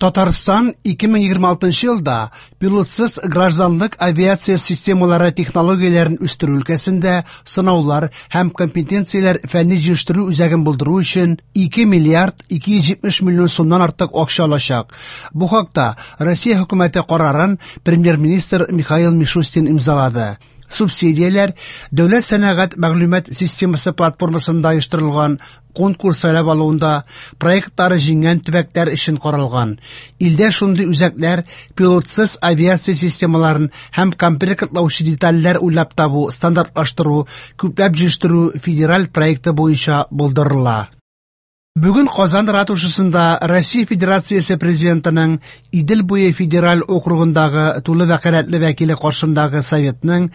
Татарстан 2026 елда пилотсыз гражданлык авиация системалары технологияләрен үстерү өлкәсендә сынаулар һәм компетенцияләр фәнни-җитештерү үзәген булдыру өчен 2 миллиард 270 миллион сумнан артык акча алачак. Бу хакта Россия хөкүмәте карарын премьер-министр Михаил Мишустин имзалады. Субсидияләр Дәүләт сәнәгать мәгълүмат системасы платформасында оештырылган конкурс сайлап алуында проектлары җиңгән төбәкләр өчен каралган. Илдә шундый үзәкләр пилотсыз авиация системаларын һәм комплектлаучы детальләр уйлап табу, стандартлаштыру, күпләп җитештерү федераль проекты буенча булдырыла. Бүген Казан ратушасында Россия Федерациясе Президентының Идел буе федераль округындагы тулы вәкаләтле вәкиле каршындагы Советның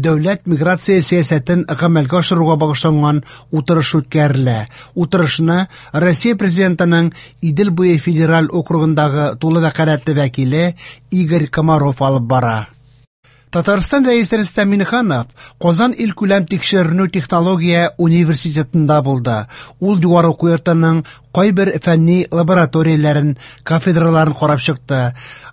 дәүләт миграция сәясәтен гамәлгә ашыруга багышланган утырыш үткәрелә. Утырышны Россия Президентының Идел буе федераль округындагы тулы вәкаләтле вәкиле Игорь Комаров алып бара. Татарстан Рәисе Рөстәм Миңнеханов Казан илкүләм тикшеренү технология университетында булды. Ул югары уку йортының кайбер фәнни лабораторияләрен, кафедраларын карап чыкты.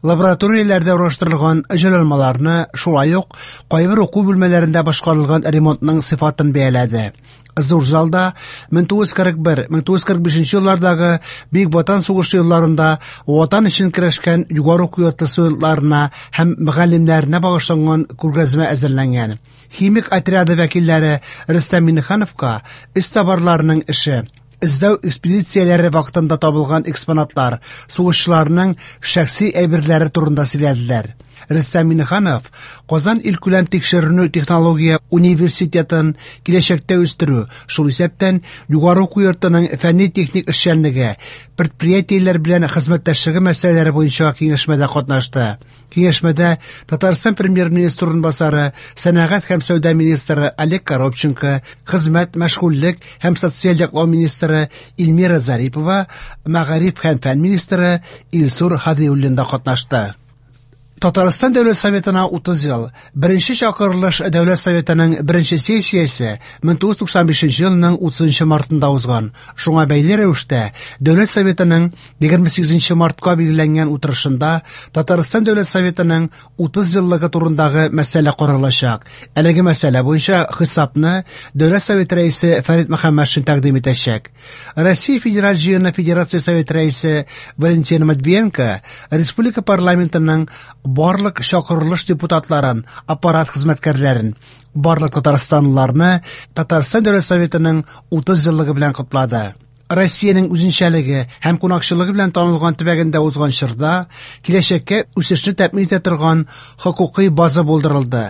Лабораторияләрдә урнаштырылган җайланмаларны, шулай ук кайбер уку бүлмәләрендә башкарылган ремонтның сыйфатын бәяләде. Зур залда 1941-1945 еллардагы Бөек Ватан сугышы елларында Ватан өчен көрәшкән югары уку йорты студентларына һәм мөгаллимнәренә багышланган күргәзмә әзерләнгән. Химик отряды вәкилләре Рөстәм Миңнехановка эзтабарларның эше, эзләү экспедицияләре вакытында табылган экспонатлар, сугышчыларның шәхси әйберләре турында сөйләделәр. Рөстәм Миңнеханов Казан илкүләм тикшеренү технология университетын киләчәктә үстерү, шул исәптән югары уку йортының фәнни-техник эшчәнлеге, предприятиеләр белән хезмәттәшлеге мәсьәләләре буенча киңәшмәдә катнашты. Киңәшмәдә Татарстан премьер-министры урынбасары, сәнәгать һәм сәүдә министры Олег Коробченко, хезмәт, мәшгульлек һәм социаль яклау министры Эльмира Зарипова, мәгариф һәм фән министры Илсур Һадиуллин да катнашты. Татарстан Дәүләт Советына 30 ел. Беренче чакырылыш Дәүләт Советының беренче сессиясе 1995 елның 30 мартында узган. Шуңа бәйле рәвештә Дәүләт Советының 28 мартка билгеләнгән утырышында Татарстан Дәүләт Советының 30 еллыгы турындагы мәсьәлә каралачак. Әлеге мәсьәлә буенча хисапны Дәүләт Советы рәисе Фәрит Мөхәммәтшин тәкъдим итәчәк. Россия Федераль Җыены Федерация Советы рәисе Валентина Матвиенко республика парламентының барлык чакырылыш депутатларын, аппарат хезмәткәрләрен, барлык татарстанлыларны Татарстан Дәүләт Советының 30 еллыгы белән котлады. Россиянең үзенчәлеге һәм кунакчылыгы белән танылган төбәгендә узган чорда киләчәккә үсешне тәэмин итә торган хокукый база булдырылды.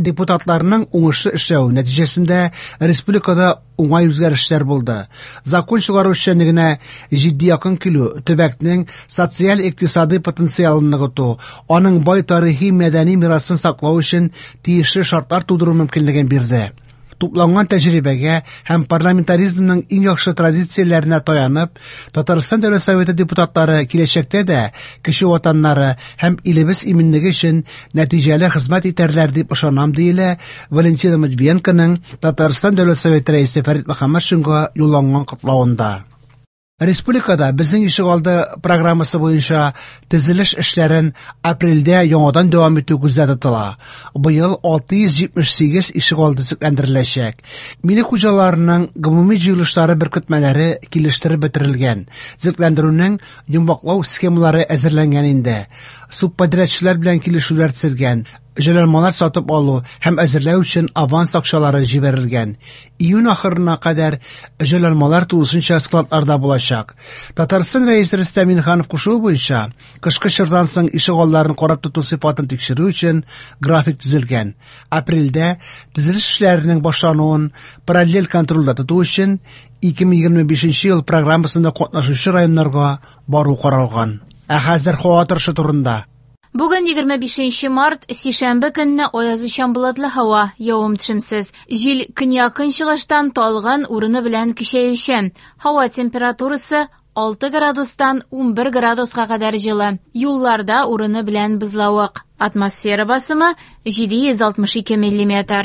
Депутатларның уңышлы эшләве нәтиҗәсендә республикада уңай үзгәрешләр булды. Закон чыгару эшчәнлегенә җитди якын килү, төбәкнең социаль-икътисадый потенциалын ныгыту, аның бай тарихи-мәдәни мирасын саклау өчен тиешле шартлар тудыру мөмкинлеген бирде. Тупланган тәҗрибәгә һәм парламентаризмның иң яхшы традицияләренә таянып, Татарстан Дәүләт Советы депутатлары киләчәктә дә кече ватаннары һәм илебез иминлеге өчен нәтиҗәле хезмәт итәрләр дип ышанам, диелә Валентина Матвиенконың Татарстан Дәүләт Советы рәисе Фәрит Мөхәммәтшинга юлланган котлавында. Республикада Безнең ишегалды программасы буенча төзелеш эшләрен апрельдә яңадан дәвам итү күздә тотыла. Быел 678 ишегалды төзекләндереләчәк. Милек хуҗаларының гомуми җыелышлары беркетмәләре килештереп бетерелгән. Төзекләндерүнең йомгаклау схемалары әзерләнгән инде. Субподрядчылар белән килешүләр төзелгән. Җайланмалар сатып алу һәм әзерләү өчен аванс акчалары җибәрелгән. Июнь ахырына кадәр җайланмалар тулысынча складларда булачак. Татарстан Рәисе Рөстәм Миңнеханов кушуы буенча, кышкы чордан соң ишегалларын карап тоту сыйфатын тикшерү өчен график төзелгән. Апрельдә төзелеш эшләренең башлануын параллель контрольдә тоту өчен 2025 ел программасында катнашучы районнарга бару каралган. Ә хәзер һава торышы турында. Бүген 25 март, сишәмбе көнне аязучан болытлы һава, явым-төшемсез. Җил көньяк-көнчыгыштан талгын, урыны белән көчәючән. Һава температурасы 6 градустан 11 градуска кадәр җылы. Юлларда урыны белән бозлавык. Атмосфера басымы 762 миллиметр.